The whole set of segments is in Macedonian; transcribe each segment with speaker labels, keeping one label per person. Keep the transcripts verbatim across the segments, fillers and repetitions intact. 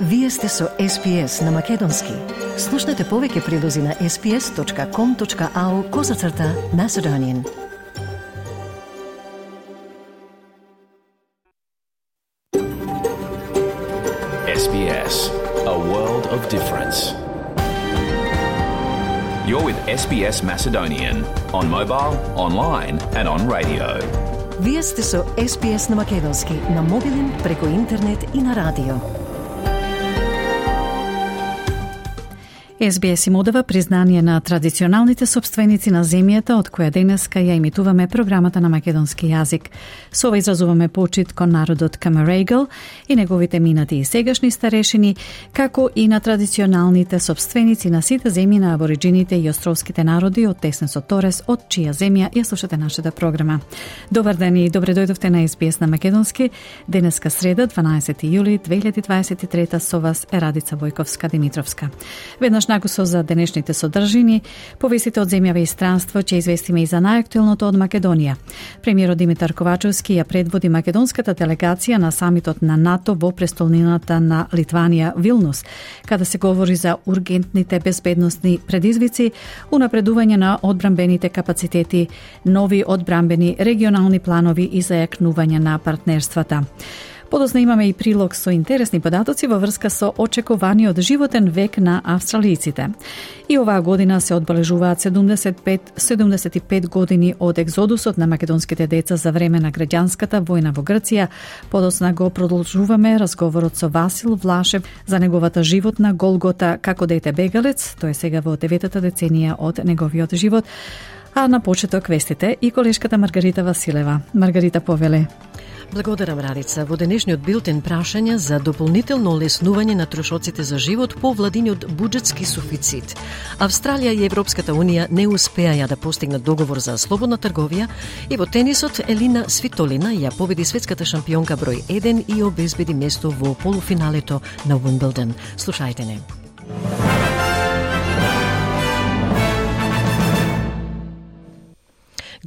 Speaker 1: Вие сте со Ес Би Ес на Македонски. Слушнете повеќе прилози на ес би ес точка ком точка ау козацрта Macedonian.
Speaker 2: Ес Би Ес, a world of difference. You're with Ес Би Ес Macedonian on mobile, online and on radio.
Speaker 1: Вие сте со Ес Би Ес на Македонски, на мобилен, преку интернет и на радио.
Speaker 3: Ес Би Ес им одава признание на традиционалните собственици на земјата од која денеска ја имитуваме програмата на македонски јазик. Со ова изразуваме почит кон народот Камерегл и неговите минати и сегашни старешини, како и на традиционалните собственици на сите земји на абориджините и островските народи од Теснесот Торес, од чија земја ја слушате нашата програма. Добар ден и добре дојдовте на Ес Би Ес на Македонски. Денеска среда, дванаесети јули две илјади дваесет и трета, со вас е Радица Војковска-Димитровска. Веднаш накусо за денешните содржини, повестите од земјава и странство, ќе известиме и за најактуелното од Македонија. Премиерот Димитар Ковачевски ја предводи македонската делегација на самитот на НАТО во престолнината на Литванија, Вилнус, каде се говори за ургентните безбедносни предизвици, унапредување на одбранбените капацитети, нови одбранбени регионални планови и зајакнување на партнерствата. Подоцна имаме и прилог со интересни податоци во врска со очекуваниот животен век на австралијците. И оваа година се одбележуваат седумдесет и пет, седумдесет и пет години од екзодусот на македонските деца за време на граѓанската војна во Грција. Подоцна го продолжуваме разговорот со Васил Влашев за неговата животна голгота како дете бегалец. Тој е сега во деветата деценија од неговиот живот. А на почеток вестите и колешката Маргарита Василева. Маргарита, повеле.
Speaker 4: Благодарам, Радица. Во денешниот билтен прашања за дополнително олеснување на трошоците за живот по владиниот буџетски суфицит. Австралија и Европската унија не успеаја да постигнат договор за слободна трговија и во тенисот Елина Свитолина ја победи светската шампионка број еден и обезбеди место во полуфиналето на Уимблдон. Слушајте не.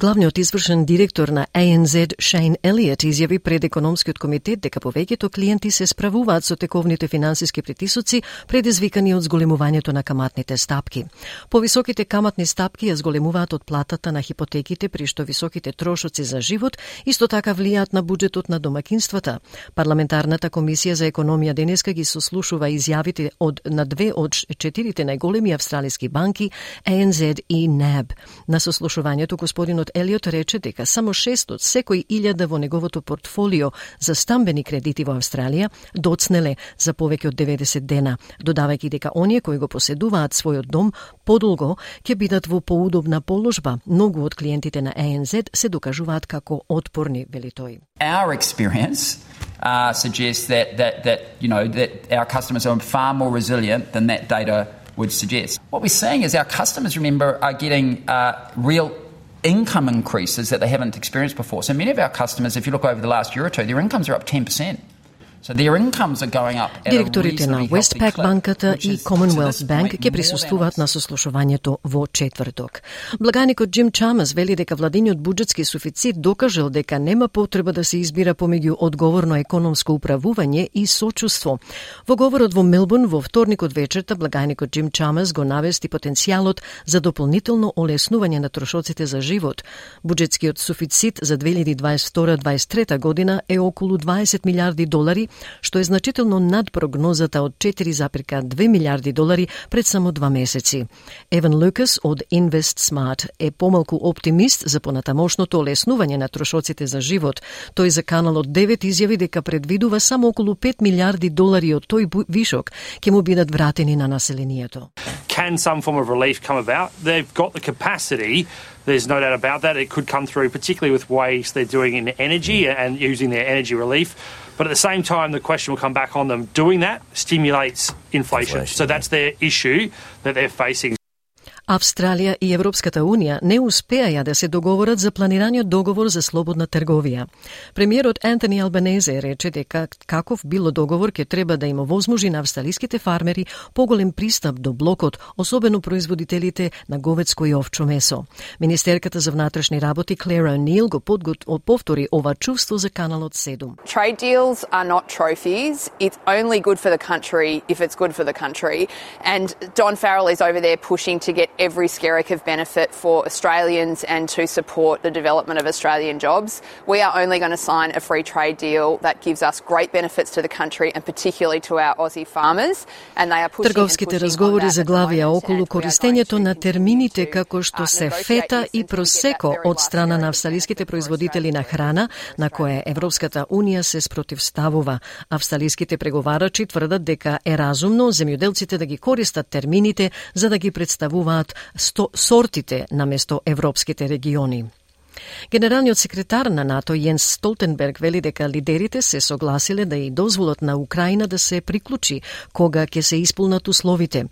Speaker 4: Главниот извршен директор на А Ен Зед Шейн Елиот изјави пред економскиот комитет дека повеќето клиенти се справуваат со тековните финансиски притисоци предизвикани од зголемувањето на каматните стапки. Повисоките каматни стапки ја зголемуваат од платата на хипотеките, при што високите трошоци за живот исто така влијаат на буџетот на домакинствата. Парламентарната комисија за економија денеска ги сослушува изјавите од на две од четирите најголеми австралиски банки, А Ен Зед и наб. На сослушувањето господинот Елиот рече дека само шест од секој илјада во неговото портфолио за стамбени кредити во Австралија доцнеле за повеќе од деветдесет дена, додавајќи дека оние кои го поседуваат својот дом подолго ќе бидат во поудобна положба. Многу од клиентите на А Ен Зед се докажуваат како отпорни, вели тој.
Speaker 5: Our experience uh, suggests that that that you know that our customers are far more resilient than that data would suggest. What we're seeing is our customers, remember, are getting uh, real income increases that they haven't experienced before. So many of our customers, if you look over the last year or two, their incomes are up ten percent. So their incomes are going up at
Speaker 4: Директорите
Speaker 5: a
Speaker 4: на
Speaker 5: reasonably
Speaker 4: Westpac
Speaker 5: healthy
Speaker 4: банката
Speaker 5: clip,
Speaker 4: и
Speaker 5: which is,
Speaker 4: Commonwealth
Speaker 5: to this
Speaker 4: Bank
Speaker 5: point,
Speaker 4: ќе
Speaker 5: more
Speaker 4: присуствуваат
Speaker 5: than
Speaker 4: на сослушувањето во четврток. Благаникот Джим Чамас вели дека владиниот буџетски суфицит докажал дека нема потреба да се избира помеѓу одговорно економско управување и сочувство. Во говорот во Мелбурн во вторникот вечерта, благаникот Джим Чамас го навести потенцијалот за дополнително олеснување на трошоците за живот. Буџетскиот суфицит за две илјади дваесет и втора дваесет и трета година е околу дваесет милиарди долари, што е значително над прогнозата од четири запирка две милиарди долари пред само два месеци. Еван Лукас од InvestSmart е помалку оптимист за понатамошното олеснување на трошоците за живот. Тој за Каналот девет изјави дека предвидува само околу пет милиарди долари од тој вишок ќе му бидат вратени на населението.
Speaker 6: Can some form of relief come about? They've got the capacity. There's no doubt about that. It could come through, particularly with ways they're doing in energy and using their energy relief. But at the same time, the question will come back on them. Doing that stimulates inflation. inflation so that's their issue that they're facing.
Speaker 4: Австралија и Европската Унија не успеаја да се договорат за планираниот договор за слободна трговија. Премиерот Антони Албанезе рече дека каков било договор ќе треба да им овозможи на австралиските фармери поголем пристап до блокот, особено производителите на говедско и овчо месо. Министерката за внатрешни работи Клера О'Нил го повтори ова чувство за каналот седум.
Speaker 7: Trade deals are not trophies. It's only good for the country if it's good for the country. And Don Farrell is over there pushing to get every skerrick of benefit for Australians and to support the development of Australian jobs. We are only going to sign a free trade deal that gives us great benefits to the country and particularly to our Aussie farmers. And they are pushing
Speaker 4: Трговските разговори заглавија околу користењето на термините како што се фета и просеко од страна на австралиските производители на храна, на кое Европската Унија се спротивставува. Австралиските преговарачи тврдат дека е разумно земјоделците да ги користат термините за да ги представуваат сортите наместо европските региони. Генералниот секретар на НАТО Јенс Столтенберг вели дека лидерите се согласиле да и дозволат на Украина да се приклучи кога ќе се исполнат условите.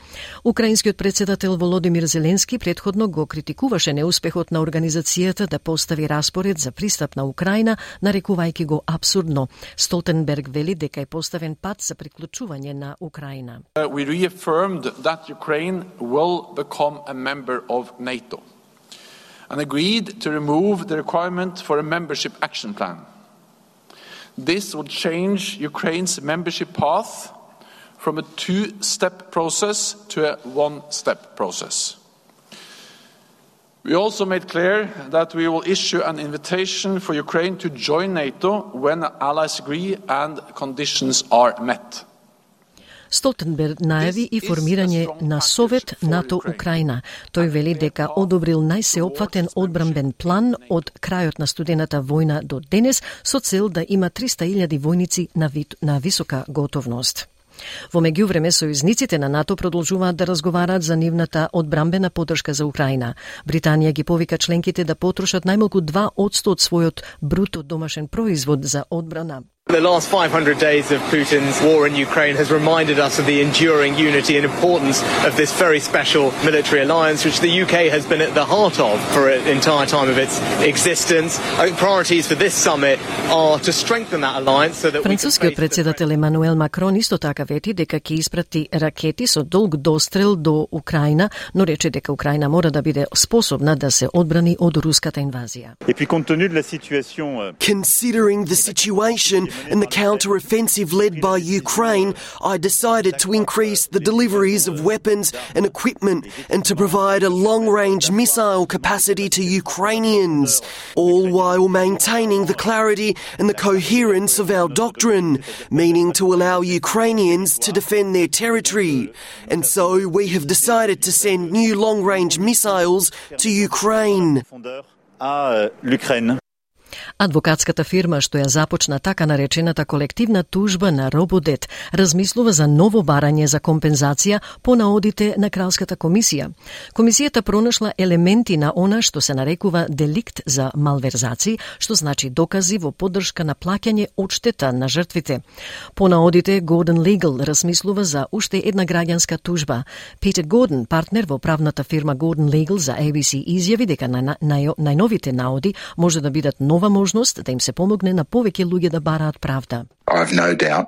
Speaker 4: Украинскиот председател Володимир Зеленски претходно го критикуваше неуспехот на организацијата да постави распоред за пристап на Украина, нарекувајќи го абсурдно. Столтенберг вели дека е поставен пат за приклучување на Украина.
Speaker 8: We reaffirmed that Ukraine will become a member of NATO. And agreed to remove the requirement for a membership action plan. This would change Ukraine's membership path from a two-step process to a one-step process. We also made clear that we will issue an invitation for Ukraine to join NATO when allies agree and conditions are met.
Speaker 4: Столтенберг најави и формирање на Совет НАТО-Украина. Тој вели дека одобрил најсеопфатен одбранбен план од крајот на студената војна до денес со цел да има триста илјади војници на, ви... на висока готовност. Во меѓувреме, сојузниците на НАТО продолжуваат да разговараат за нивната одбранбена поддршка за Украина. Британија ги повика членките да потрошат најмалку два одсто од својот бруто домашен производ за одбрана.
Speaker 9: The last five hundred days of Putin's war in Ukraine has reminded us of the enduring unity and importance of this very special military alliance, which the U K has been at the heart of for the entire time of its existence. I think priorities for this summit are to strengthen that alliance so that
Speaker 4: Францускиот председател Емануел Макрон исто така вети дека ќе испрати ракети со долг дострел до Украина, но рече дека Украина мора да биде способна да се одбрани од руската инвазија.
Speaker 10: Considering the situation in the counter-offensive led by Ukraine, I decided to increase the deliveries of weapons and equipment and to provide a long-range missile capacity to Ukrainians, all while maintaining the clarity and the coherence of our doctrine, meaning to allow Ukrainians to defend their territory. And so we have decided to send new long-range missiles to Ukraine.
Speaker 4: Адвокатската фирма што ја започна така наречената колективна тужба на Рободет размислува за ново барање за компензација по наодите на Кралската комисија. Комисијата пронашла елементи на она што се нарекува деликт за малверзаци, што значи докази во поддршка на плаќање одштета на жртвите. По наодите Gordon Legal размислува за уште една граѓанска тужба. Питер Гордон, партнер во правната фирма Gordon Legal за A B C, изјави дека на, на, на, најновите наоди може да бидат нова можност да им се помогне на повеќе луѓе да бараат правда.
Speaker 11: I've no doubt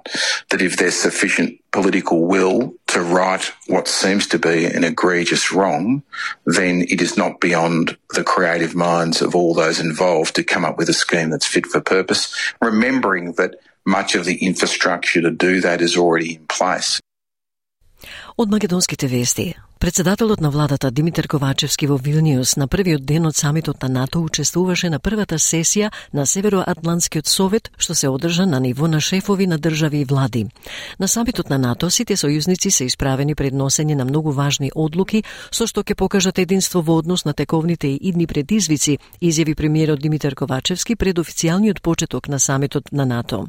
Speaker 11: that if there's sufficient political will to right what seems to be an egregious wrong, then it is not beyond the creative minds of all those involved to come up with a scheme that's fit for purpose, remembering that much of the infrastructure to do that is already in place.
Speaker 4: Од македонските вести. Председателот на владата Димитар Ковачевски во Вилниус на првиот ден од самитот на НАТО учествуваше на првата сесија на Североатлантскиот совет, што се одржа на ниво на шефови на држави и влади. На самитот на НАТО сите сојузници се исправени пред носење на многу важни одлуки, со што ќе покажат единство во однос на тековните и идни предизвици, изјави премиерот Димитар Ковачевски пред официјалниот почеток на самитот на НАТО.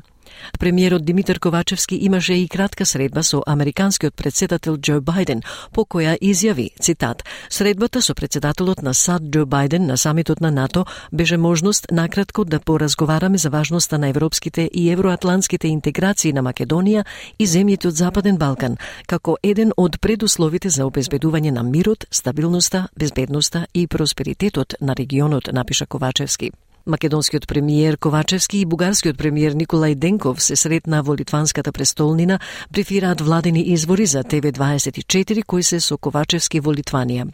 Speaker 4: Премиерот Димитар Ковачевски имаше и кратка средба со американскиот претседател Џо Бајден, по која изјави, цитат, средбата со претседателот на САД Џо Бајден на самитот на НАТО беше можност накратко да поразговараме за важноста на европските и евроатлантските интеграции на Македонија и земјите од Западен Балкан, како еден од предусловите за обезбедување на мирот, стабилноста, безбедноста и просперитетот на регионот, напиша Ковачевски. Македонскиот премиер Ковачевски и бугарскиот премиер Николај Денков се сретна во литванската престолнина, брифираат владени извори за Т В дваесет и четири кои се со Ковачевски во Литванија.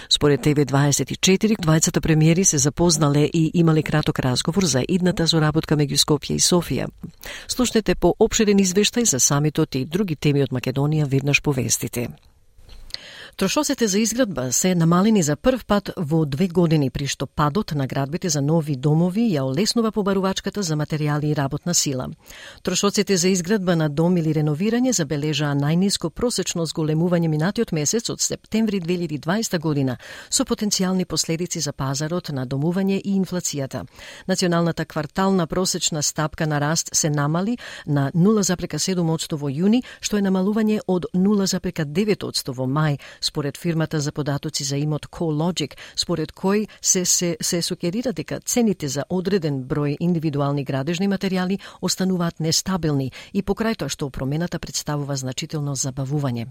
Speaker 4: Според Т В дваесет и четири, двајцата премиери се запознале и имале краток разговор за идната соработка меѓу Скопје и Софија. Слушнете по опширен извештај за самитот и други теми од Македонија веднаш по вестите. Трошоците за изградба се намалени за прв пат во две години, при што падот на градбите за нови домови ја олеснува побарувачката за материјали и работна сила. Трошоците за изградба на дом или реновирање забележаа најниско просечно зголемување минатиот месец од септември две илјади и дваесета година, со потенцијални последици за пазарот на домување и инфлацијата. Националната квартална просечна стапка на раст се намали на нула запирка седум одсто во јуни, што е намалување од нула запирка девет одсто во мај, според фирмата за податоци за имот CoreLogic, според кој се, се, се сукерира дека цените за одреден број индивидуални градежни материјали остануваат нестабилни и покрај тоа што промената представува значително забавување.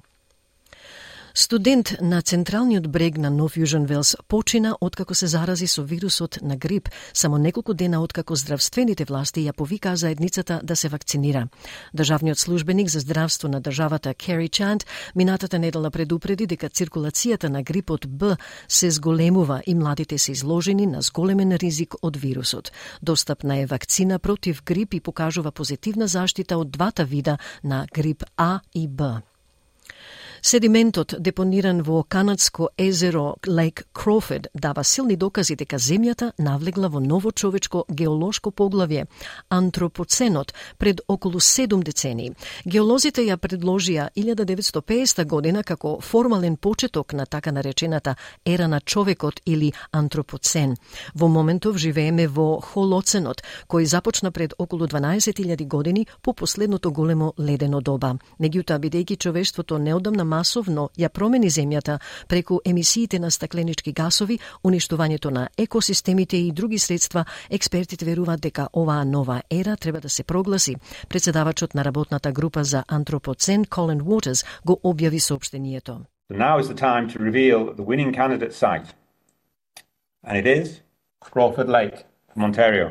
Speaker 4: Студент на централниот брег на Нов Јужен Велс почина откако се зарази со вирусот на грип, само неколку дена откако здравствените власти ја повикаа заедницата да се вакцинира. Државниот службеник за здравство на државата Кери Чант минатата недела предупреди дека циркулацијата на грипот Б се зголемува и младите се изложени на зголемен ризик од вирусот. Достапна е вакцина против грип и покажува позитивна заштита од двата вида на грип А и Б. Седиментот депониран во канадско езеро Лейк Кроуфорд дава силни докази дека земјата навлегла во ново човечко геолошко поглавје, антропоценот, пред околу седум децении. Геолозите ја предложија илјада деветстотини и педесета година како формален почеток на така наречената ера на човекот или антропоцен. Во моментов живееме во холоценот, кој започна пред околу дванаесет илјади години по последното големо ледено доба. Меѓутоа, бидејќи човештвото неодамна масовно ја промени земјата преку емисиите на стакленички гасови, уништувањето на екосистемите и други средства, експертите веруваат дека оваа нова ера треба да се прогласи. Председавачот на работната група за антропоцен Колин Уотерс го објави соопштението.
Speaker 12: Now is the time to reveal the winning candidate site. And it is Crawford Lake from Ontario.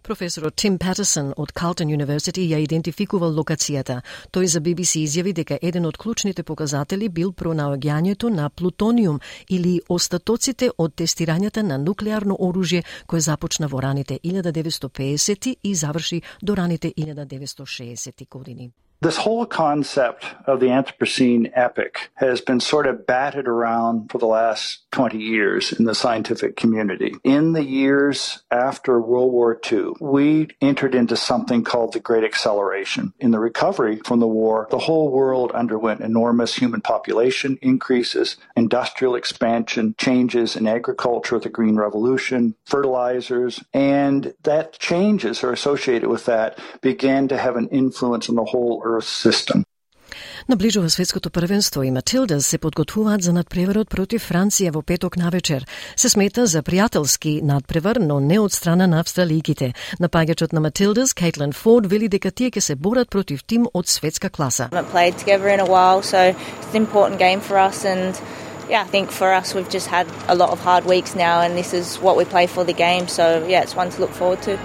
Speaker 4: Професорот Тим Патерсон од Carleton University ја идентификувал локацијата. Тој за Би Би Си изјави дека еден од клучните показатели бил пронаоѓањето на плутониум или остатоците од тестирањата на нуклеарно оружје кое започна во раните илјада деветстотини и педесети и заврши до раните илјада деветстотини и шеесети години.
Speaker 13: This whole concept of the Anthropocene epoch has been sort of batted around for the last twenty years in the scientific community. In the years after World War Two, we entered into something called the Great Acceleration. In the recovery from the war, the whole world underwent enormous human population increases, industrial expansion, changes in agriculture, the Green Revolution, fertilizers, and that changes are associated with that began to have an influence on the whole Earth system.
Speaker 4: Наближува светското првенство и Матилдас се подготвуваат за надпреварот против Франција во петок навечер. Се смета за пријателски надпревар, но не од страна на австралијките. Напаѓачот на Матилдас, Кейтлин Форд, вели дека тие ќе се борат против тим од светска класа.
Speaker 14: We haven't played together in a while, so it's an important game for us and yeah, I think for us we've just had a lot of hard weeks now and this is what we play for the game, so yeah, it's one to look forward to.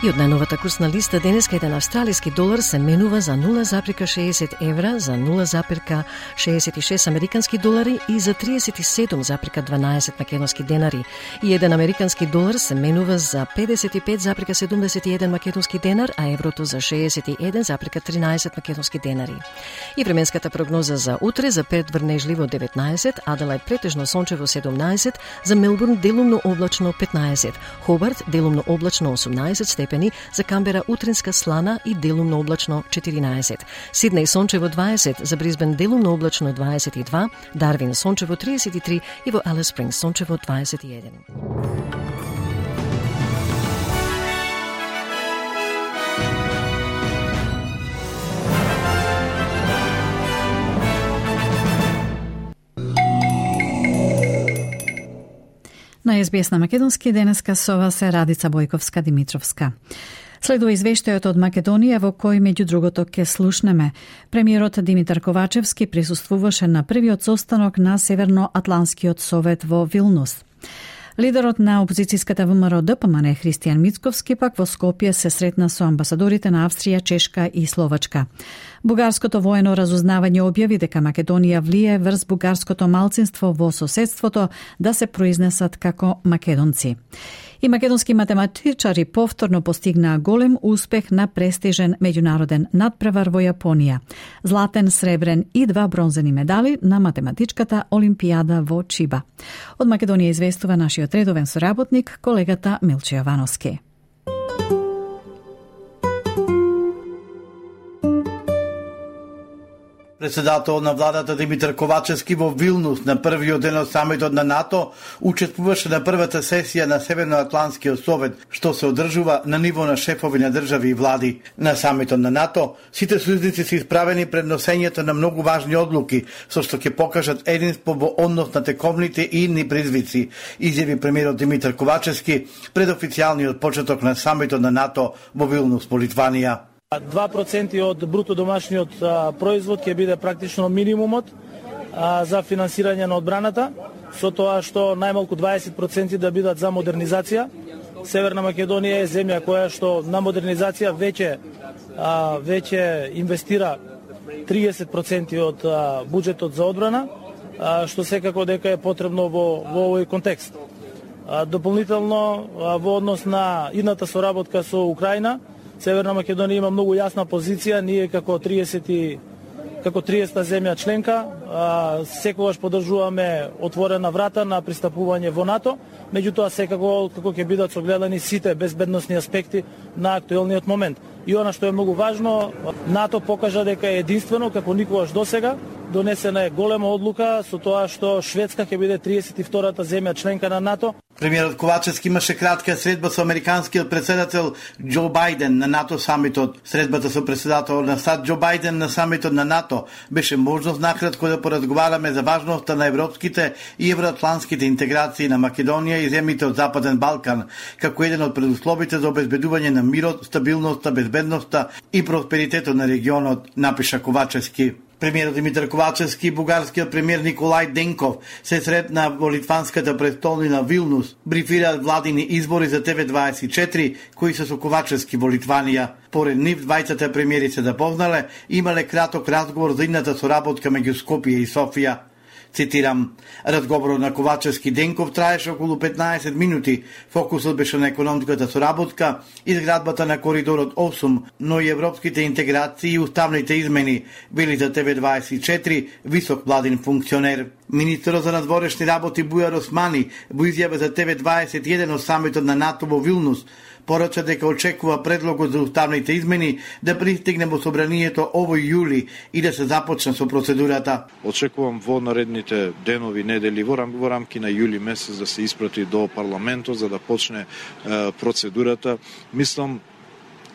Speaker 4: И од најновата курсна листа денеска еден австралиски долар се менува за нула запирка шеесет евра, за нула запирка шеесет и шест американски долари и за триесет и седум запирка дванаесет македонски денари. И еден американски долар се менува за педесет и пет запирка седумдесет и еден македонски денар, а еврото за шеесет и еден запирка тринаесет македонски денари. И временската прогноза за утре за Перт врнежливо деветнаесет, Аделајд претежно сончево седумнаесет, за Мелбурн делумно облачно петнаесет, Хобарт делумно облачно осумнаесет степени, за Камбера утринска слана и делумно облачно четиринаесет. Сиднеј сончево дваесет, за Брисбен делумно облачно дваесет и два, Дарвин сончево триесет и три и во Алис Спрингс сончево дваесет и еден.
Speaker 3: На Ес Би Ес на македонски денеска со вас е Радица Бојковска-Димитровска. Следува извештајот од Македонија во кој меѓу другото ке слушнеме. Премиерот Димитар Ковачевски присуствуваше на првиот состанок на Северноатланскиот совет во Вилнус. Лидерот на опозицијската ВМРО Д П М Н Христијан Мицковски пак во Скопје се сретна со амбасадорите на Австрија, Чешка и Словачка. Бугарското воено разузнавање објави дека Македонија влие врз бугарското малцинство во соседството да се произнесат како македонци. И македонски математичари повторно постигнаа голем успех на престижен меѓународен надпревар во Јапонија. Златен, сребрен и два бронзени медали на математичката Олимпијада во Чиба. Од Македонија известува нашиот редовен соработник, колегата Милче Јовановски.
Speaker 15: Председател на владата Димитар Ковачевски во Вилнус на првиот ден од самитот на НАТО учествуваше на првата сесија на Северноатланскиот совет, што се одржува на ниво на шефови на држави и влади. На самитот на НАТО сите сојузници се исправени пред носењето на многу важни одлуки, со што ќе покажат единство во однос на тековните и идни призвици, изјави премиерот Димитар Ковачевски пред официјалниот почеток на самитот на НАТО во Вилнус во Литванија.
Speaker 16: два проценти од бруто домашниот а, производ ќе биде практично минимумот а, за финансирање на одбраната, со тоа што најмалку дваесет проценти да бидат за модернизација. Северна Македонија е земја која што на модернизација веќе а, веќе инвестира триесет проценти од а, буџетот за одбрана, а, што секако дека е потребно во, во овој контекст. А, дополнително а, во однос на идната соработка со Украина, Северна Македонија има многу јасна позиција, ние како тридесет како триесета земја членка, а, секогаш поддржуваме отворена врата на пристапување во НАТО, меѓутоа секако како ќе бидат согледани сите безбедносни аспекти на актуелниот момент. И она што е многу важно, НАТО покажа дека е единствено како никогаш досега, донесена е голема одлука со тоа што Шведска ќе биде тридесет и втората земја членка на НАТО.
Speaker 15: Премиерот Ковачевски имаше кратка средба со американскиот председател Џо Бајден на НАТО самитот. Средбата со председател на САД Џо Бајден на самитот на НАТО беше можност накратко да поразговараме за важноста на европските и евроатлантските интеграции на Македонија и земјите од Западен Балкан, како еден од предусловите за обезбедување на мирот, стабилноста, безбедноста и просперитетот на регионот, напиша Ковачевски. Премиерот Димитар Ковачевски и бугарскиот премиер Николај Денков се сретна во литванската престолнина Вилнус, брифираат владини избори за Те Ве дваесет и четири, кои се со Ковачевски во Литванија. Поред нив, двајцата премиери се запознале и имале краток разговор за идната соработка меѓу Скопје и Софија. Цитирам, разговорот на Ковачевски Денков траеше околу петнаесет минути. Фокусот беше на економската соработка, изградбата на коридорот осум, но и европските интеграции и уставните измени, вели за Те Ве дваесет и четири висок владин функционер. Министерот за надворешни работи Бујар Османи во изјава за Те Ве дваесет и еден од самитот на НАТО во Вилнус порача дека очекува предлогот за уставните измени да пристигне во собранието овој јули и да се започне со процедурата.
Speaker 17: Очекувам во наредните денови, недели, во, рам, во рамки на јули месец да се испрати до парламентот за да почне е, процедурата. Мислам,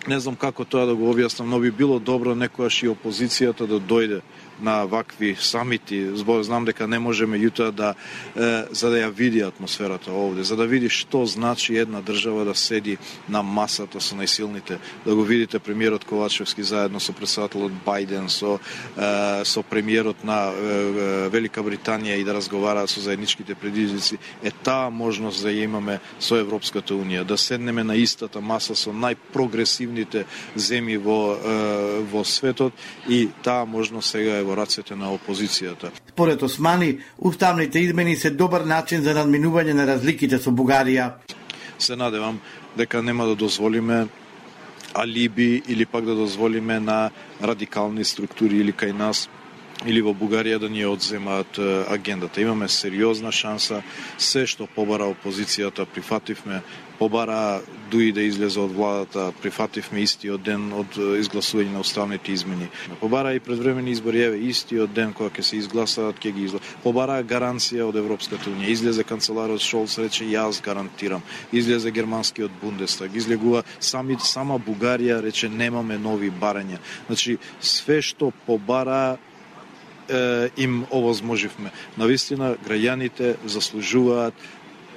Speaker 17: не знам како тоа да го објаснам, но би било добро некојаш и опозицијата да дојде на вакви самити, збор знам дека не можеме јутоа да е, за да ја види атмосферата овде, за да види што значи една држава да седи на масата со најсилните, да го видите премиерот Ковачевски заедно со председателот Бајден, со е, со премиерот на е, Велика Британија и да разговараат со заедничките предизвици, е таа можност да ја имаме со Европската унија, да седнеме на истата маса со најпрогресивните земји во е, во светот и таа можност сега е во рацете на опозицијата.
Speaker 15: Според Османи, уставните измени се добар начин за надминување на разликите со Бугарија.
Speaker 17: Се надевам дека нема да дозволиме алиби или пак да дозволиме на радикални структури или кај нас или во Бугарија да ни одземаат агендата. Имаме сериозна шанса, се што побара опозицијата прифативме, побара дуи да излезе од владата, прифативме истиот ден од изгласување на уставните измени. Побара и предвремени избори, еве истиот ден кога ќе се изгласаат, ќе ги изгласаат. Побара гаранција од Европската унија. Излезе канцеларот Шолц, рече јас гарантирам. Излезе германскиот Бундестаг, излегува сами сама Бугарија рече немаме нови барања. Значи све што побара им овозможивме. Навистина, граѓаните заслужуваат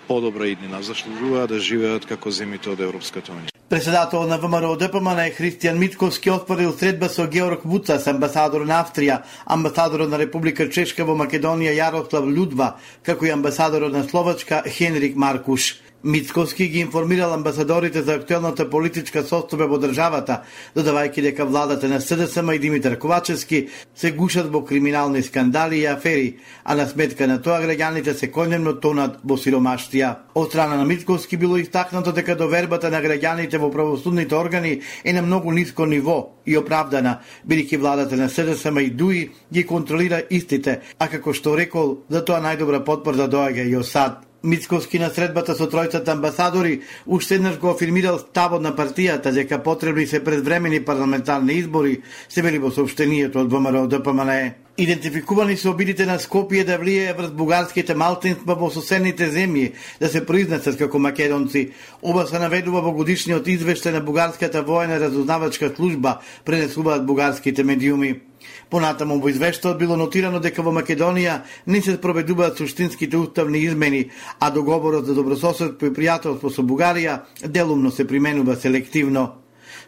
Speaker 17: подобра иднина, заслужуваат да живеат како земјите од Европската унија.
Speaker 15: Председател на ВМРО ДПМН е Христијан Мицковски оспорил средба со Георг Вуцас, амбасадор на Австрија, амбасадорот на Република Чешка во Македонија Јарослав Људва, како и амбасадорот на Словачка Хенрик Маркуш. Мицковски ги информирал амбасадорите за актуелната политичка состојба во државата, додавајќи дека владата на СДСМ и Димитар Ковачевски се гушат во криминални скандали и афери, а на сметка на тоа граѓаните се конјемно тонат во сиромаштија. Од страна на Мицковски било истакнато дека довербата на граѓаните во правосудните органи е на многу ниско ниво и оправдана, бидејќи владата на СДСМ и ДУИ ги контролира истите, а како што рекол, за тоа најдобра потврда доаѓа и од САД. Мицковски на средбата со тројцата амбасадори уште еднаш го афирмирал ставот на партијата дека потребни се предвремени парламентарни избори, се вели во соопштението од ВМРО ДПМН. Идентификувани се обидите на Скопје да влијае врз бугарските малцинства во соседните земји да се произнесат како македонци. Ова се наведува во годишниот извештај на бугарската воена разузнавачка служба, пренесуваат бугарските медиуми. Понатаму во извештајот било нотирано дека во Македонија не се спроведуваат суштинските уставни измени, а договорот за добрососедство и пријателство со Бугарија делумно се применува селективно.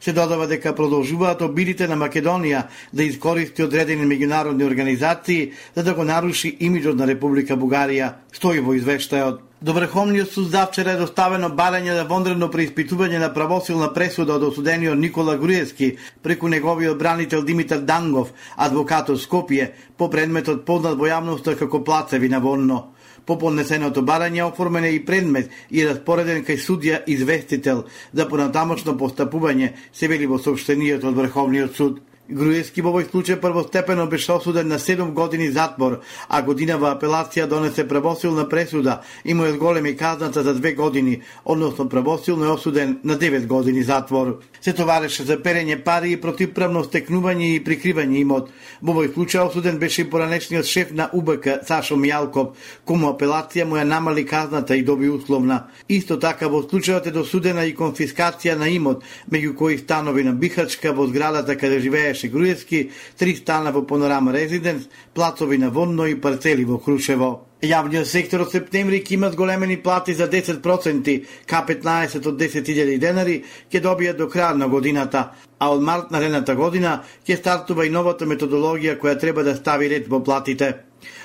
Speaker 15: Се додава дека продолжуваат обидите на Македонија да искористи одредени меѓународни организации за да го наруши имиджот на Република Бугарија, стои во извештајот. До Врховниот суд завчера е доставено барање за вонредно преиспитување на правосилна пресуда од осудениот Никола Груевски преку неговиот бранител Димитар Дангов, адвокат од Скопје, по предметот познат во јавноста како плацеви на Вонно. По поднесеното барање оформен е и предмет и распореден кај судија известител за понатамошно постапување, се вели во соопштението од Врховниот суд. Груевски во овој случај првостепено беше осуден на седум години затвор, а годинава апелација донесе правосилна пресуда и му е зголеми казната за две години, односно правосилно е осуден на девет години затвор. Се товареше за перење пари и противправно стекнување и прикривање имот. Во овој случај осуден беше и поранешниот шеф на У Б К Сашо Мијалков, кому апелација му ја намали казната и доби условна. Исто така во случајот е досудена и конфискација на имот, меѓу кои станови на Бихачка во зградата каде живееше Груевски, три стана во Панорама Резиденс, плацови на Вонно и парцели во Крушево. Јавниот сектор од септември ќе има зголемени плати за десет проценти, К петнаесет од десет илјади денари ќе добијат до крај на годината, а од март наредната година ќе стартува и новата методологија која треба да стави ред во платите.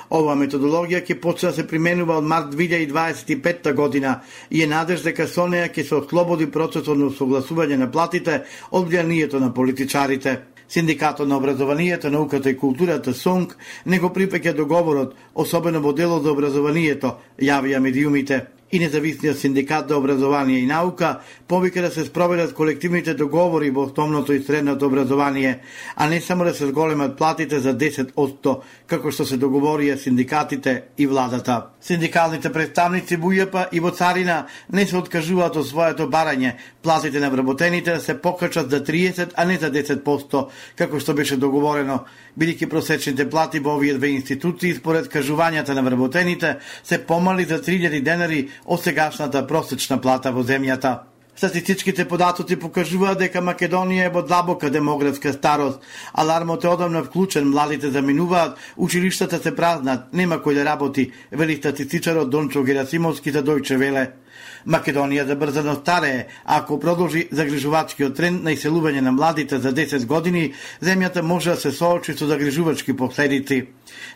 Speaker 15: Оваа методологија ќе почне да се применува од март две илјади дваесет и петта година и е надеж дека со неја ќе се ослободи процесот на согласување на платите од влијанието на политичарите. Синдикатот на образованието, науката и културата СОНК не го припеќа договорот, особено во делот за образованието, јавија медиумите. И независниот синдикат за образование и наука повика да се спроведат колективните договори во основното и средното образование, а не само да се зголемат платите за десет одсто, како што се договорија синдикатите и владата. Синдикалните представници во У Ј П и во Царина не се откажуваат од своето барање, платите на вработените да се покачат за триесет, а не за десет одсто, како што беше договорено, бидејќи просечните плати во овие две институции според кажувањата на вработените се помали за три илјади денари од сегашната просечна плата во земјата. Статистичките податоци покажуваат дека Македонија е во длабока демографска старост. Алармот е одамна вклучен, младите заминуваат, училиштата се празнат, нема кој да работи, вели статистичарот Дончо Герасимовски за Дојче Веле. Македонија забрзано старее, а ако продолжи загрижувачкиот тренд на иселување на младите за десет години, земјата може да се соочи со загрижувачки последици.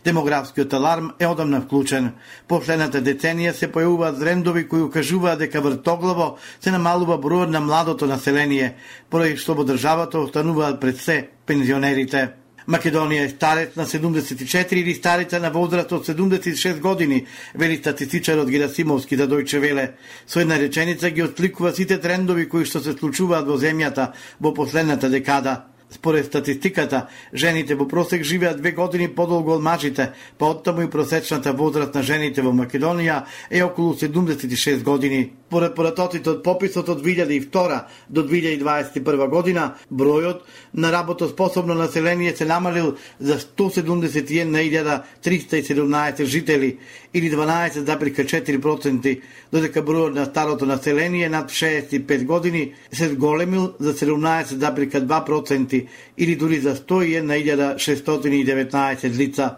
Speaker 15: Демографскиот аларм е одамна вклучен. Последната деценија се појавуваат трендови кои укажуваат дека вртоглаво се намалува бројот на младото население, поради што во државата остануваат пред се пензионерите. Македонија е старец на седумдесет и четири или старица на возраст од седумдесет и шест години, вели статистичарот Герасимовски за Дојче Веле. Со една реченица ги откликува сите трендови кои што се случуваат во земјата во последната декада. Според статистиката, жените во просек живеат две години подолго од мажите, па оттаму и просечната возраст на жените во Македонија е околу седумдесет и шест години. Според поратоците од пописот од две илјади и втора до две илјади дваесет и прва година, бројот на работоспособно население се намалил за сто седумдесет и една илјада триста и седумнаесет жители или дванаесет зарез четири проценти, додека бројот на старото население над шеесет и пет години се зголемил за седумнаесет зарез два проценти или дури за сто и една илјада шестстотини и деветнаесет лица.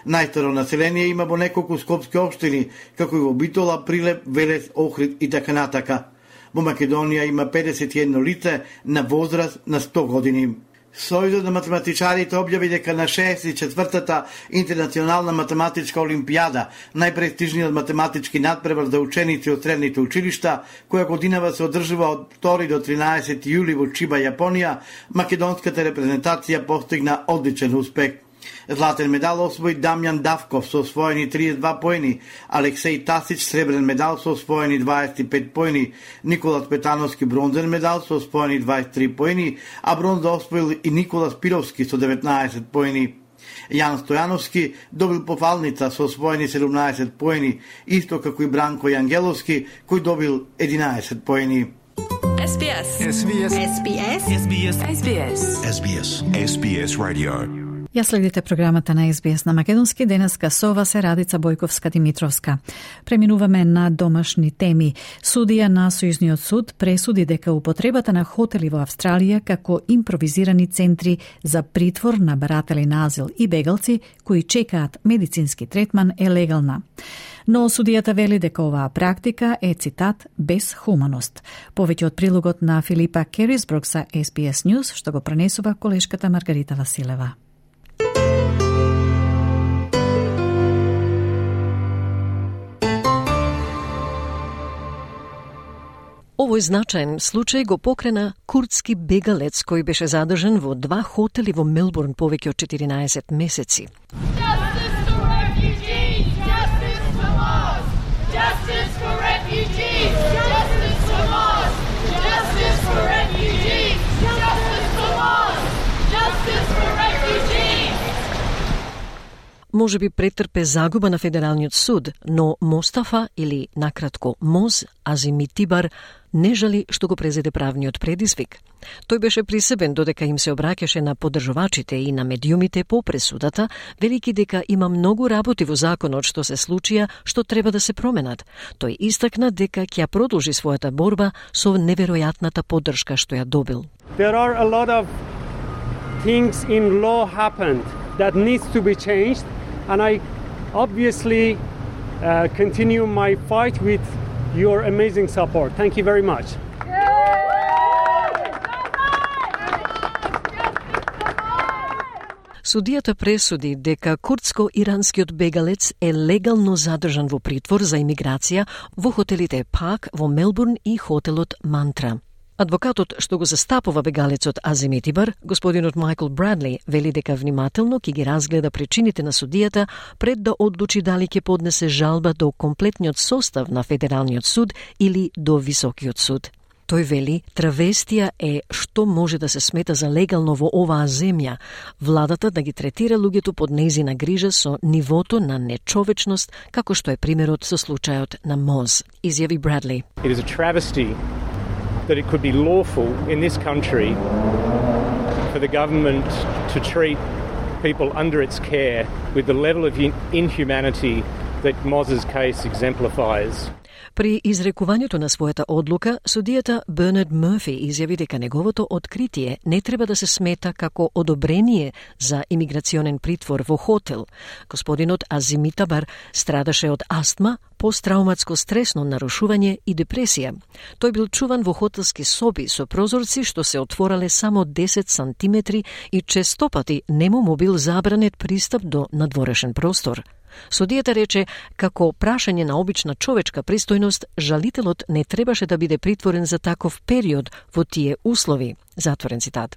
Speaker 15: Најстаро население има во неколку скопски општини, како и во Битола, Прилеп, Велес, Охрид и така натака. Во Македонија има педесет и едно лице на возраст на сто години. Сојузот на математичарите објави дека на шеесет и четвртата интернационална математичка олимпијада, најпрестижниот математички надпревар за ученици од средните училишта, која годинава се одржува од втори до тринаесети јули во Чиба, Јапонија, македонската репрезентација постигна одличен успех. Златен медал освои Дамјан Давков со освоени триесет и два поени, Алексеј Тасич сребрен медал со освоени дваесет и пет поени, Николас Петановски бронзен медал со освоени дваесет и три поени, а бронза освоил и Николас Пировски со деветнаесет поени. Јан Стојановски добил пофалница со освоени седумнаесет поени, исто како и Бранко Јангеловски кој добил единаесет поени.
Speaker 18: Ес Би Ес. Ес Би Ес. Ес Би Ес. Ес Би Ес. Ес Би Ес. Ес Би Ес. Ес Би Ес Radio.
Speaker 3: Ја следите програмата на Ес Би Ес на македонски. Денеска со вас е Радица Бојковска-Димитровска. Преминуваме на домашни теми. Судија на Сојузниот суд пресуди дека употребата на хотели во Австралија како импровизирани центри за притвор на баратели на азил и бегалци кои чекаат медицински третман е легална. Но судијата вели дека оваа практика е, цитат, без хуманост. Повеќе од прилогот на Филипа Керисбрук за Ес Би Ес News, што го пренесува колешката Маргарита Василева.
Speaker 4: Овој значаен случај го покрена курдски бегалец кој беше задржан во два хотели во Мелбурн повеќе од четиринаесет месеци. Може би претрпе загуба на Федералниот суд, но Мостафа, или накратко Моз Азимитибар, не жали што го презеде правниот предизвик. Тој беше присебен додека им се обраќаше на поддржувачите и на медиумите по пресудата, велики дека има многу работи во законот што се случија што треба да се променат. Тој истакна дека ќе продолжи својата борба со неверојатната поддршка што ја добил.
Speaker 19: There are a lot of things in law happened that needs to be changed. And I obviously uh, continue my fight with your amazing support. Thank you very much.
Speaker 4: Судијата пресуди дека курдско-иранскиот бегалец е легално задржан во притвор за имиграција во хотелите Пак во Мелбурн и хотелот Мантра. Адвокатот што го застапува бегалецот Азимитибар, господинот Майкл Брадли, вели дека внимателно ќе ги разгледа причините на судијата пред да одлучи дали ќе поднесе жалба до комплетниот состав на Федералниот суд или до Високиот суд. Тој вели, травестија е што може да се смета за легално во оваа земја, владата да ги третира луѓето под нејзина грижа со нивото на нечовечност, како што е примерот со случајот на Моз, изјави Брадли.
Speaker 19: It is a travesty that it could be lawful in this country for the government to treat people under its care with the level of inhumanity that Moz's case exemplifies.
Speaker 4: При изрекувањето на својата одлука, судијата Бернард Мърфи изјави дека неговото откритие не треба да се смета како одобрение за имиграционен притвор во хотел. Господинот Азимитабар страдаше од астма, посттрауматско стресно нарушување и депресија. Тој бил чуван во хотелски соби со прозорци што се отворале само десет сантиметри и честопати нему му бил забранет пристап до надворешен простор. Судијата рече, како прашање на обична човечка пристојност, жалителот не требаше да биде притворен за таков период во тие услови. Затворен цитат.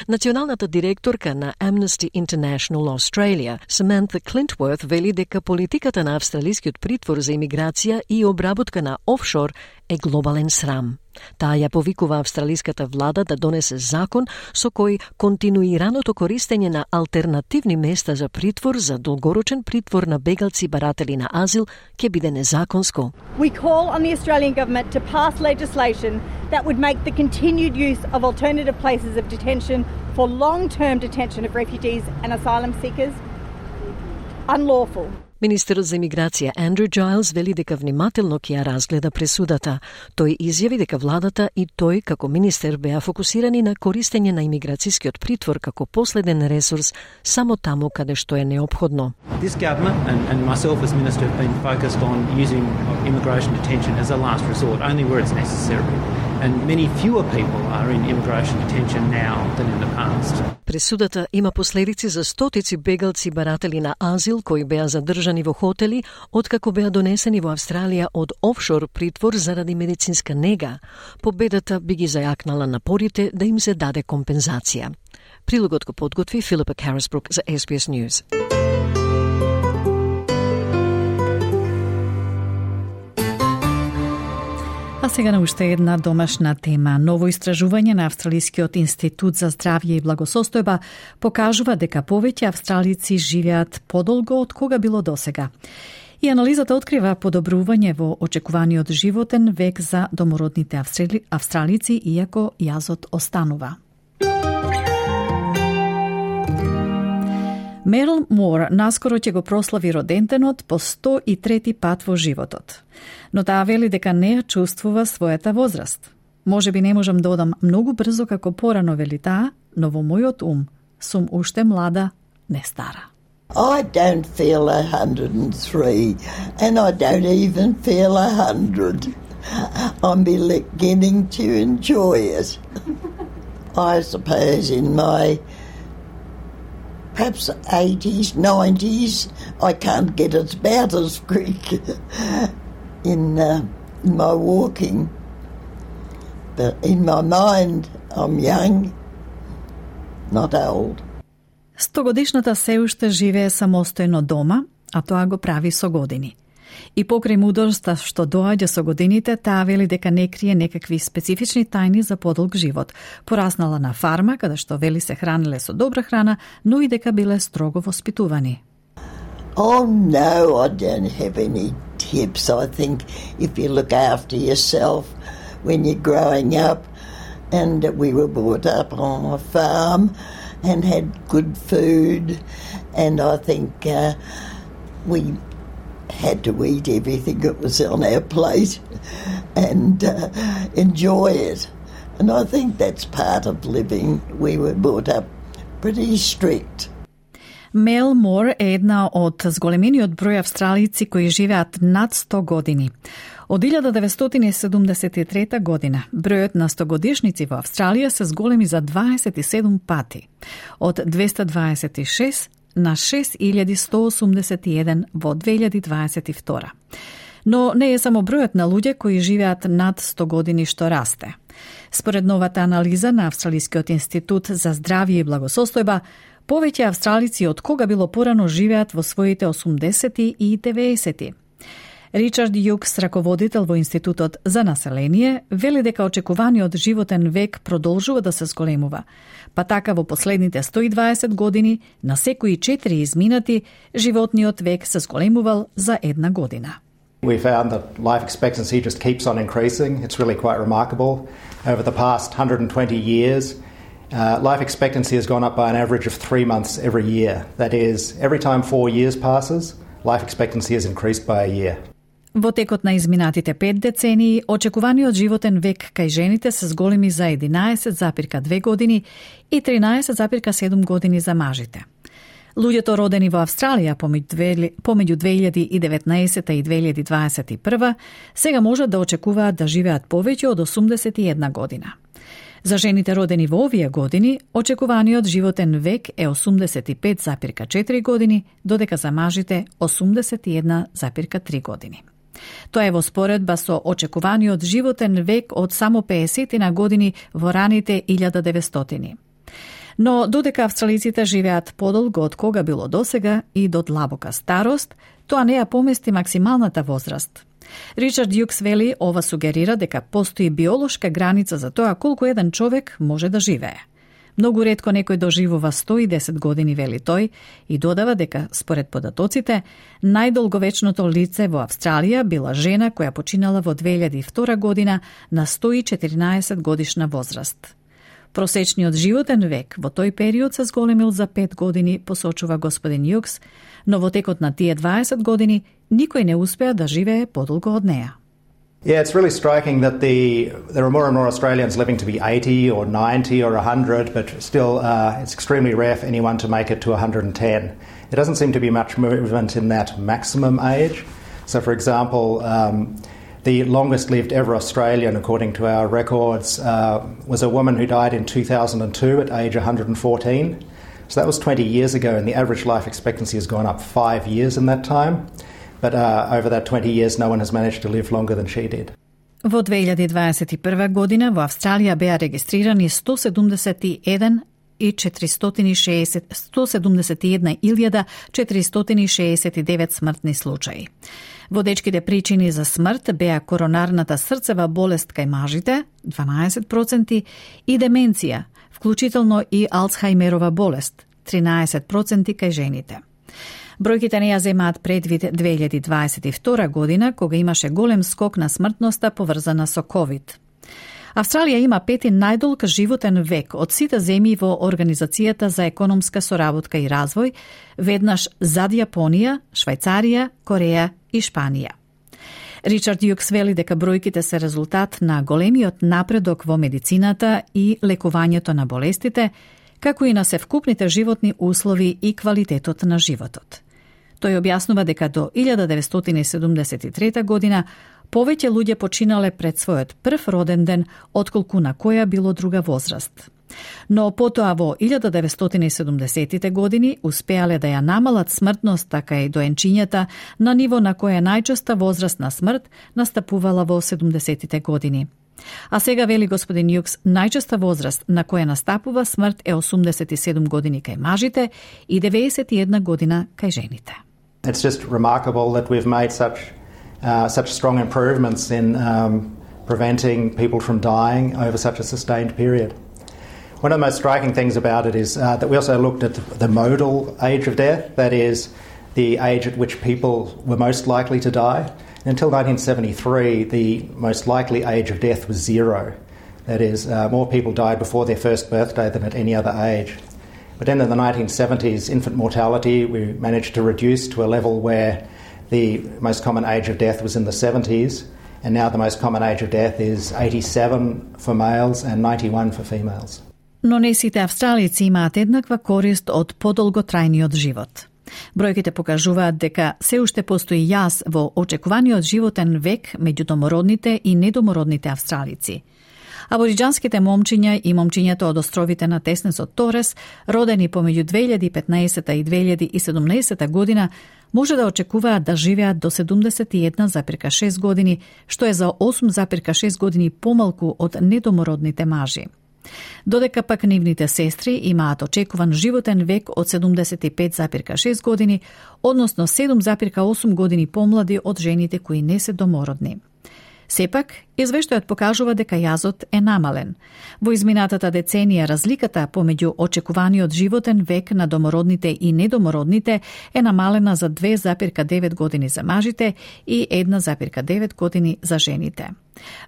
Speaker 4: Националната директорка на Amnesty International Australia, Samantha Clintworth, вели дека политиката на австралискиот притвор за имиграција и обработка на офшор е глобален срам. Таа ја повикува австралиската влада да донесе закон со кој континуираното користење на алтернативни места за притвор за долгорочен притвор на бегалци баратели на азил ќе биде незаконско.
Speaker 20: We call on the Australian government to pass legislation that would make the continued use of alternative places of detention for long-term detention of refugees and asylum seekers unlawful.
Speaker 4: Министерот за имиграција Андрю Giles вели дека внимателно ќе ја разгледа пресудата. Тој изјави дека владата и тој како министер беа фокусирани на користење на имиграцијскиот притвор како последен ресурс само таму каде што е неопходно.
Speaker 21: This government and, and myself as minister have been focused on using immigration detention as a last resort, only where it's necessary. And many fewer people are in immigration detention now than in the past.
Speaker 4: Пресудата има последици за стотици бегалци баратели на азил кои беа задржани во хотели откако беа донесени во Австралија од офшор притвор заради медицинска нега. Победата би ги зајакнала напорите да им се даде компензација. Прилогот го подготви Филипа Карасбрук за Ес Би Ес News.
Speaker 3: А сега на уште една домашна тема. Ново истражување на Австралискиот институт за здравје и благосостојба покажува дека повеќе австралици живеат подолго од кога било досега. И анализата открива подобрување во очекуваниот животен век за домородните австрали... австралици, иако јазот останува. Мерил Мор наскоро ќе го прослави роденденот по сто и трети пат во животот. Но таа вели дека не ја чувствува својата возраст. Може би не можам да одам многу брзо како порано, вели таа, но во мојот ум сум уште млада, не стара.
Speaker 22: I don't feel one hundred and three and I don't even feel one hundred. I'm beginning to enjoy it. I suppose in my perhaps eighties, nineties, I can't get it about as quick in, uh, in my walking. But in my mind, I'm young, not old.
Speaker 3: Стогодишната се уште живее самостојно дома, а тоа го прави со години. И покрај мудроста што доаѓа со годините, таа вели дека не крие некакви специфични тајни за подолг живот. Пораснала на фарма, каде што вели се хранеле со добра храна, но и дека биле строго воспитувани.
Speaker 22: Oh no, I don't have any tips. I think if you look after yourself when you're growing up, and we were brought up on a farm and had good food, and I think uh, we had to eat everything that was on our plate and uh, enjoy it. And I think that's part of living. We were brought up pretty strict.
Speaker 3: Мел Мор е една од зголемениот број австралици кои живеат над сто години. Од илјада деветстотини седумдесет и трета година, бројот на стогодишници во Австралија се зголеми за дваесет и седум пати. Од двеста дваесет и шест на шест илјади сто осумдесет и еден во две илјади дваесет и втора. Но не е само бројот на луѓе кои живеат над сто години што расте. Според новата анализа на Австралискиот институт за здравје и благосостојба, повеќе австралици од кога било порано живеат во своите осумдесети и деветесети. Ричард Јукс, раководител во Институтот за население, вели дека очекуваниот животен век продолжува да се зголемува. Па така во последните сто и дваесет години, на секои четири изминати, животниот век се зголемувал за една година.
Speaker 23: We found that life expectancy just keeps on increasing. It's really quite remarkable. Over the past one hundred twenty years, uh, life expectancy has gone up by an average of three months every year. That is, every time four years passes, life expectancy has increased by a year.
Speaker 3: Во текот на изминатите пет децении, очекуваниот животен век кај жените се зголеми за единаесет запирка две години и тринаесет запирка седум години за мажите. Луѓето родени во Австралија помеѓу две илјади и деветнаесета и две илјади дваесет и прва сега можат да очекуваат да живеат повеќе од осумдесет и една година. За жените родени во овие години, очекуваниот животен век е осумдесет и пет запирка четири години, додека за мажите осумдесет и една запирка три години. Тоа е во споредба со очекуваниот животен век од само педесет на години во раните илјада деветстотини. Но додека австралиците живеат подолго од кога било досега и до длабока старост, тоа не ја помести максималната возраст. Ричард Јукс вели, ова сугерира дека постои биолошка граница за тоа колку еден човек може да живее. Многу ретко некој доживува сто и десет години, вели тој, и додава дека, според податоците, најдолговечното лице во Австралија била жена која починала во две илјади и втора година на сто и четиринаесет годишна возраст. Просечниот животен век во тој период се зголемил за пет години, посочува господин Јукс, но во текот на тие дваесет години никој не успеа да живее подолго од неа.
Speaker 23: Yeah, it's really striking that the there are more and more Australians living to be eighty or ninety or one hundred, but still uh, it's extremely rare for anyone to make it to one hundred ten. There doesn't seem to be much movement in that maximum age. So, for example, um, the longest lived ever Australian, according to our records, uh, was a woman who died in two thousand two at age one hundred fourteen. So that was twenty years ago, and the average life expectancy has gone up five years in that time. But uh, over that twenty years, no one has managed to live longer than she did.
Speaker 3: Во две илјади дваесет и прва година во Австралија беа регистрирани сто седумдесет и еден и четиристотини и шеесет сто седумдесет и една илјада четиристотини и шеесет и девет смртни случаи. Водечките причини за смрт беа коронарната срцева болест кај мажите дванаесет проценти и деменција, вклучително и Алцхајмерова болест тринаесет проценти кај жените. Бројките не ја земаат предвид две илјади дваесет и втора година, кога имаше голем скок на смртноста поврзана со ковид. Австралија има пети најдолг животен век од сите земји во Организацијата за економска соработка и развој, веднаш зад Јапонија, Швајцарија, Кореја и Шпанија. Ричард Јукс вели дека бројките се резултат на големиот напредок во медицината и лекувањето на болестите, како и на севкупните животни услови и квалитетот на животот. Тој објаснува дека до илјада деветстотини седумдесет и трета година повеќе луѓе починале пред својот прв роден ден отколку на која било друга возраст. Но потоа во илјада деветстотини седумдесетите години успеале да ја намалат смртноста кај доенчињата на ниво на која најчеста возраст на смрт настапувала во седумдесетите години. А сега, вели господин Јукс, најчеста возраст на која настапува смрт е осумдесет и седум години кај мажите и деветдесет и една година кај жените.
Speaker 23: It's just remarkable that we've made such uh, such strong improvements in um, preventing people from dying over such a sustained period. One of the most striking things about it is uh, that we also looked at the modal age of death, that is, the age at which people were most likely to die. Until nineteen seventy-three, the most likely age of death was zero. That is, uh, more people died before their first birthday than at any other age. But then in the nineteen seventies, infant mortality, we managed to reduce to a level where the most common age of death was in the seventies, and now the most common age of death is eighty-seven for males and ninety-one for females.
Speaker 3: Но не сите австралици имаат еднаква корист од подолготрајниот живот. Бројките покажуваат дека се уште постои јаз во очекуваниот животен век меѓу домородните и недомородните австралици. Абориџанските момчиња и момчињата од островите на теснесот Торес, родени помеѓу две илјади и петнаесета и две илјади и седумнаесета година, може да очекуваат да живеат до седумдесет и една зарка шест години, што е за осум зарка шест години помалку од недомородните мажи. Додека пак нивните сестри имаат очекуван животен век од седумдесет и пет зарка шест години, односно седум зарка осум години помлади од жените кои не се домородни. Сепак, извештајот покажува дека јазот е намален. Во изминатата деценија разликата помеѓу очекуваниот животен век на домородните и недомородните е намалена за две зарка девет години за мажите и една зарка девет години за жените.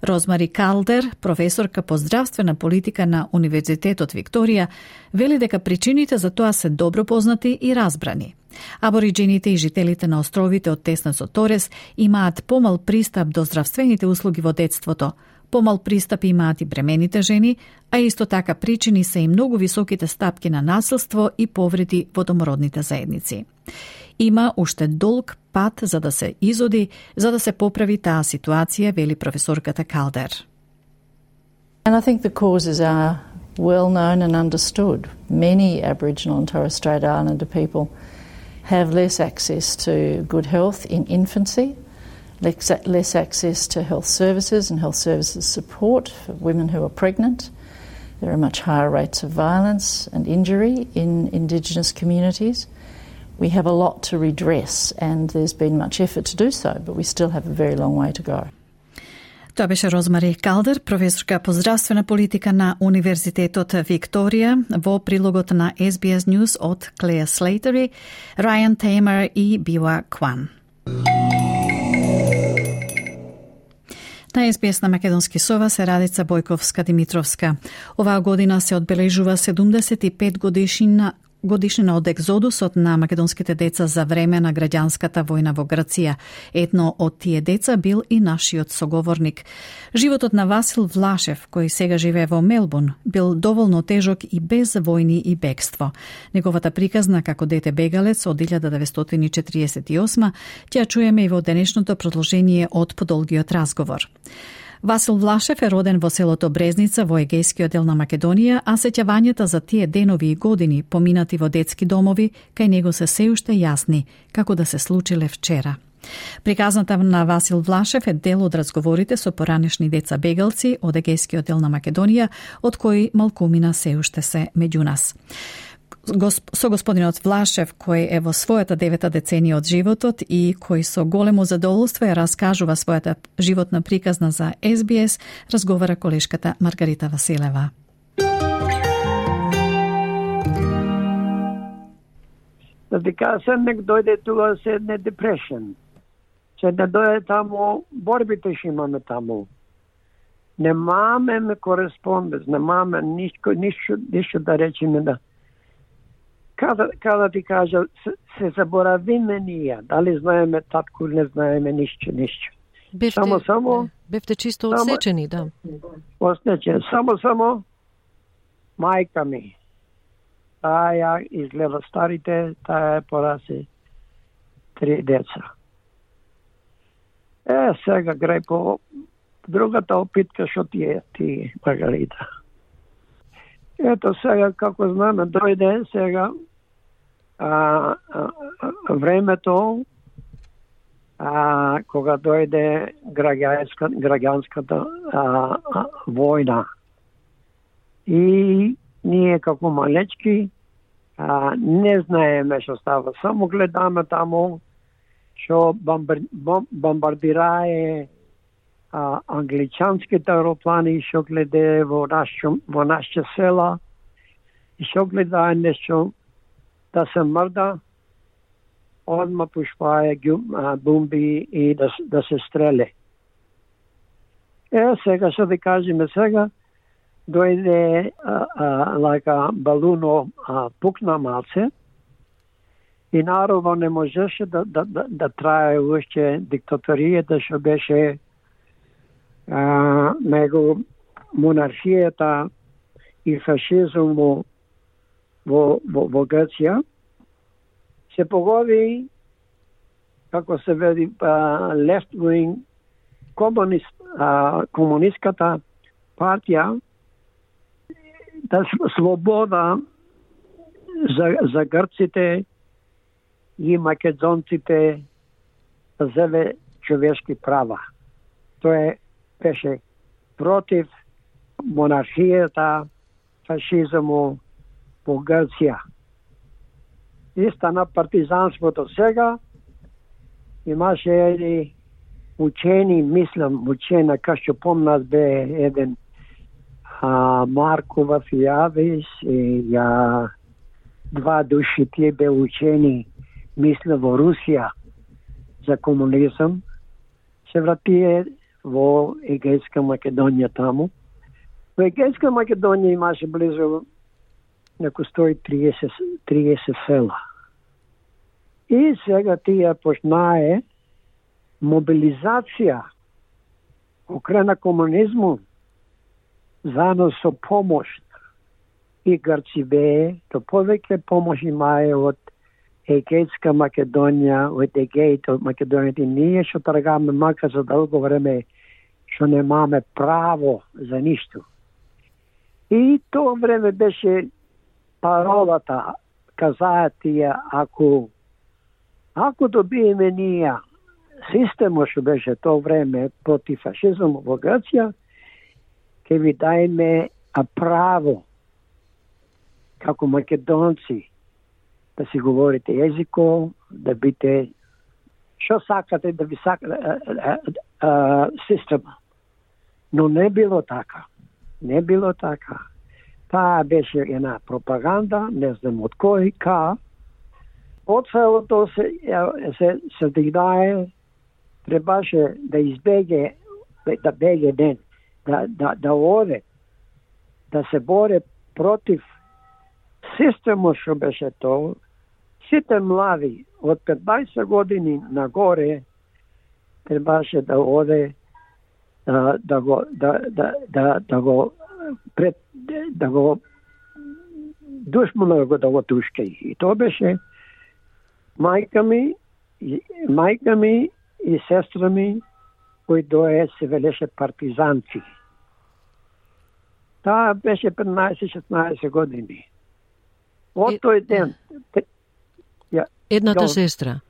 Speaker 3: Розмари Калдер, професорка по здравствена политика на Универзитетот Викторија, вели дека причините за тоа се добро познати и разбрани. Абориџините и жителите на островите од теснесот Торес имаат помал пристап до здравствените услуги во детството, помал пристап имаат и бремените жени, а исто така причини се и многу високите стапки на насилство и повреди во домородните заедници. Има уште долг пат за да се изоди, за да се поправи таа ситуација, вели професорката Калдер.
Speaker 1: And I think the causes are well known and understood. Many Aboriginal and Torres Strait Islander people have less access to good health in infancy, less access to health services and health services support for women who are pregnant. There are much higher rates of violence and injury in Indigenous communities. We have a lot to redress, and there's been much effort to do so, but we still have a very long way to go.
Speaker 3: Тоа беше Розмари Калдер, професорка по здравствена политика на Универзитетот Викторија, во прилогот на Ес Би Ес News од Клеја Слейтери, Рајан Теймер и Бива Кван. На Ес Би Ес на Македонски сова се Радица Бојковска-Димитровска. Оваа година се одбележува седумдесет и пет годишнина годишнина од екзодусот на македонските деца за време на граѓанската војна во Грција. Едно од тие деца бил и нашиот соговорник. Животот на Васил Влашев, кој сега живее во Мелбурн, бил доволно тежок и без војни и бегство. Неговата приказна како дете бегалец од илјада деветстотини и четиридесет и осма ќе ја чуеме и во денешното продолжение од подолгиот разговор. Васил Влашев е роден во селото Брезница во Егејскиот дел на Македонија, а сеќавањата за тие денови и години поминати во детски домови кај него се се уште јасни, како да се случиле вчера. Приказната на Васил Влашев е дел од разговорите со поранешни деца бегалци од Егејскиот дел на Македонија, од кои малкумина се уште се меѓу нас. Со господинот Влашев, кој е во својата девета деценија од животот и кој со големо задоволство ја раскажува својата животна приказна за Ес Би Ес, разговара колешката Маргарита Василева.
Speaker 2: Да ти кажа, се нек дојде тука се не депрешен. Се да дојде таму, борбите ще имаме таму. Немаме кореспонденц, немаме нишко, нишко, нишко да речеме да Када, када ти кажа, се, се заборавиме ние, дали знаеме татку или не знаеме ништо, ништо.
Speaker 4: Бевте,
Speaker 2: само, само,
Speaker 4: бевте чисто одсечени, да.
Speaker 2: Одсечени. Само, само, мајка ми, таа изгледа старите, таа пораси три деца. Е, сега грај по другата опитка, шо ти е, ти, Маргарита. Ето сега, како знаме, дојде сега а, а, времето а, кога дојде граѓанска, граѓанската а, а, војна. И ние како малечки а, не знаеме што става. Само гледаме таму што бомбар, бом, бомбардирае А, англичанските аероплани што гледе во нашо во нашите села и што гледае нешто да се мрда, одма пушпае бомби и да, да се стреле. Е, сега што да кажеме сега, дојде а, а, лака балуно а, пукна малце и народот не можеше да, да, да, да трае уште диктаторијата што беше Uh, него монархијата и фашизм во, во, во Грција се погоди, како се веди, uh, left wing комунист, uh, комунистката партија, да слобода за, за грците и македонците да зеле човешки права. Тоа е беше против монархијата, фашизму во Грција. И стана партизанството сега. Имаше едни учени, мислам, учена, кај што помнат бе еден а, Маркова Фијавис и ја два души тие бе учени, мисля, во Русија за комунизм. Се вратие во Егејска Македонија таму. Во Егејска Македонија имаше близу неко сто и триесет села. И сега тие почнае мобилизација окрена комунизму заедно со помош и Грци бе, то повеќе помош имае од Егејска Македонија, од Егејт, од Македонија. И ние што трагаме мака за долго време што немаме право за ништо. И тоа време беше паролата, казаат тие, ако ако добиеме ние системот што беше тоа време против фашизм во Грција, ќе ви дајме право како македонци да си говорите јазико, да бите што сакате да ви сака система. Но не било така. Не било така. Таа беше една пропаганда, не знам од кој, ка. Од целото се, се, се дигнае, требаше да избеге да беге ден, да, да, да оде, да се боре против системот што беше тоа. Сите млади од петнаесет години нагоре требаше да оде да, да го да, да, да, да го пред да го душмано да го тушкај. И тоа беше мајка ми, мајка ми и сестра ми, кои дое се велеше партизанци. Таа беше петнаесет-шеснаесет години. Од тој ден... Ја,
Speaker 4: Едната
Speaker 2: ја,
Speaker 4: сестра?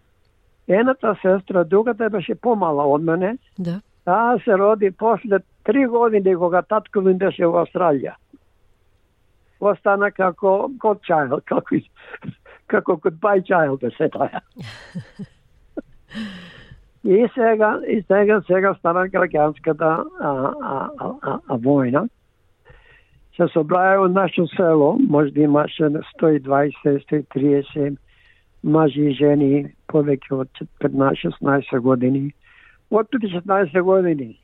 Speaker 2: Едната сестра, другата беше помала од мене.
Speaker 4: Да.
Speaker 2: Таа се роди после три години, кога татко ми беше во Австралија. Остана како godchild, како, како goodbye child, да се таа. И сега, и сега, сега стана граѓанската а, а, а, а, војна. Се собраја од нашето село, може да имаше сто и дваесет, сто и триесет мажи и жени, повеќе од петнаесет-шеснаесет години. Од петнаесет години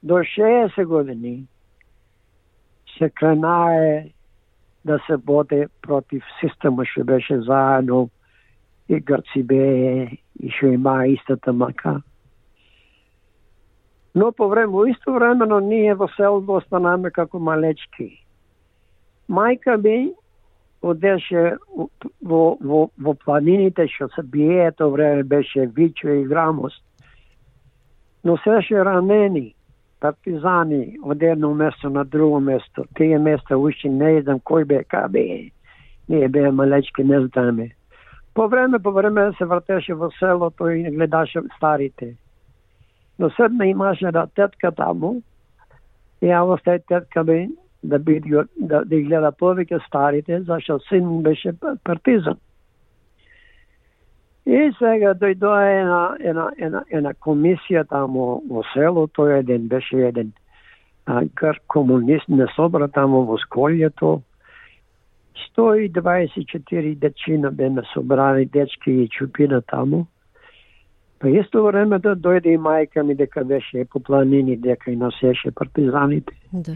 Speaker 2: до шеесет години се кренае да се боде против системот што беше заедно и Грци бе и што има истата мака. Но по време, исто времено ние во селото останаме како малечки. Мајка ми одеше во, во, во планините што се бие, тоа време беше Вичо и Грамост. Но сеше ранени партизани од едно место на друго место. Тие места уште не знам кој бе, кај бе. Ние бе малечки, не знаме. По време, по време се вртеше во селото и гледаше старите. Но седна имаше да тетка таму, и ја остај тетка ми да биде да, да гледа повеќе старите, зашто син беше партизан. И сега дојдоа една, една, една, една комисија таму во селото, еден беше еден грк комунист, не собра таму во Сколјето. сто и дваесет и четири дечина беме собрани, дечки и чупина таму. Па исто време да дојде и мајка ми дека беше по планини, дека и носеше партизаните.
Speaker 4: Да.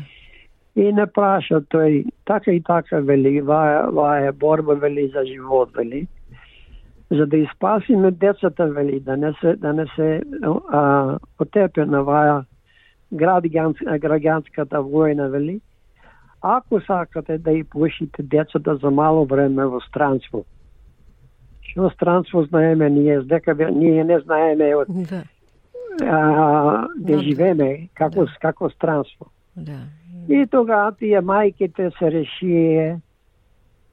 Speaker 2: И не праша тој, така и така вели, ваа, ваа е борба вели за живот вели. За да испасиме децата вели, да не се, да не се а, потепе на ваа граѓанската војна вели. Ако сакате да и пушите децата за мало време во странство, што странство знаеме ние, дека ние не знаеме од
Speaker 4: да,
Speaker 2: а, да живееме како да, како странство.
Speaker 4: Да.
Speaker 2: И тогава тие мајките се решие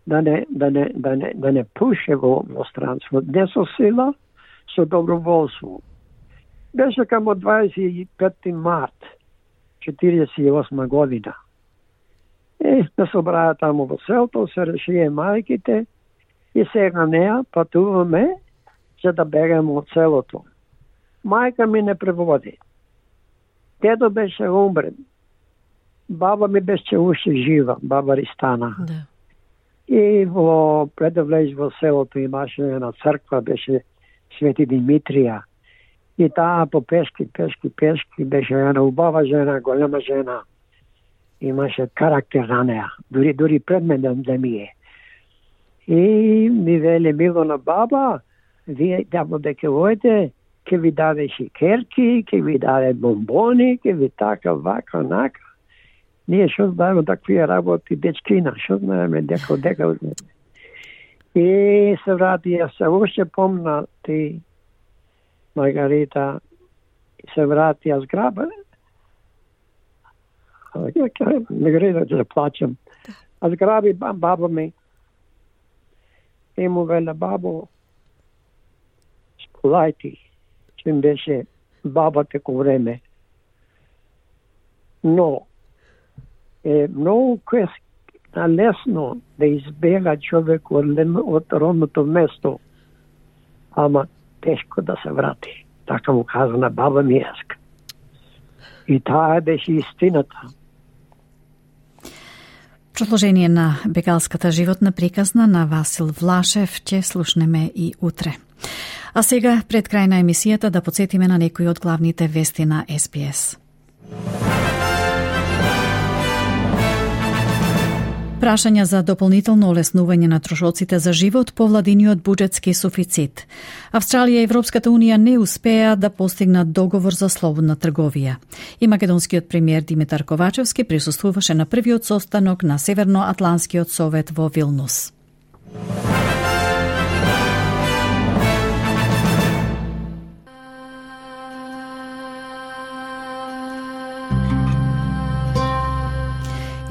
Speaker 2: да не да не да не да не пуше во, во странство, не со сила, со доброволство. Беше камо дваесет и пети март четириесет и осма година. И се собраа таму во селото, се решие мајките и сега неа патуваме за да бегаме од селото. Мајка ми не преводи. Дедо беше умрен. Баба ми беше уште жива, баба Ристана.
Speaker 4: Да.
Speaker 2: И во пред да влез во селото имаше една црква, беше Свети Димитрија. И таа по пешки, пешки, пешки беше една убава жена, голема жена. Имаше карактер на неа, дури дури пред мене да ми е. И ми вели Милона баба, вие тамо дека ојде, ќе ви даде шикерки, ќе ви даде бомбони, ќе ви така, вака, нака. Ние што знаеме такви работи дечкина, што знаеме дека дека. И се врати, ја се уште помна ти, Маргарита, се врати, ја зграба. Не греда да плачам. А зграби баба ми и му веле, бабо, сполај ти, че им беше баба теко време. Но е многу лесно да избега човек од, од родното место, ама тешко да се врати. Така му каза на баба ми еска. И таа беше истината.
Speaker 3: Продолжение на бегалската животна приказна на Васил Влашев ќе слушнеме и утре. А сега, пред крај на емисијата, да подсетиме на некои од главните вести на Ес Би Ес. Прашања за дополнително олеснување на трошоците за живот по владиниот буџетски суфицит. Австралија и Европската унија не успеа да постигнат договор за слободна трговија. И македонскиот премиер Димитар Ковачевски присуствуваше на првиот состанок на Северноатлантскиот совет во Вилнус.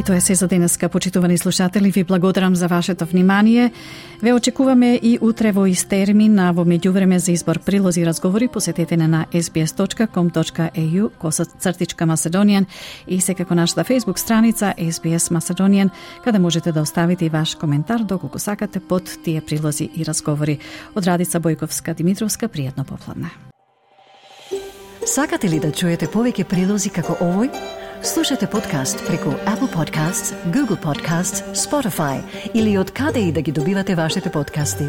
Speaker 3: Тоа е се за денеска, почитувани слушатели. Ви благодарам за вашето внимание. Ве очекуваме и утре во ист термин, а во меѓувреме за избор прилози и разговори посетете на ес би ес точка ком точка е ю коса цртичка Macedonian и секако нашата Facebook страница ес би ес Macedonian, каде можете да оставите и ваш коментар доколку сакате под тие прилози и разговори. Од Радица Бојковска Димитровска, пријатно попладне.
Speaker 4: Сакате ли да чуете повеќе прилози како овој? Слушате подкаст преку Apple Podcasts, Google Podcasts, Spotify или од каде и да ги добивате вашите подкасти.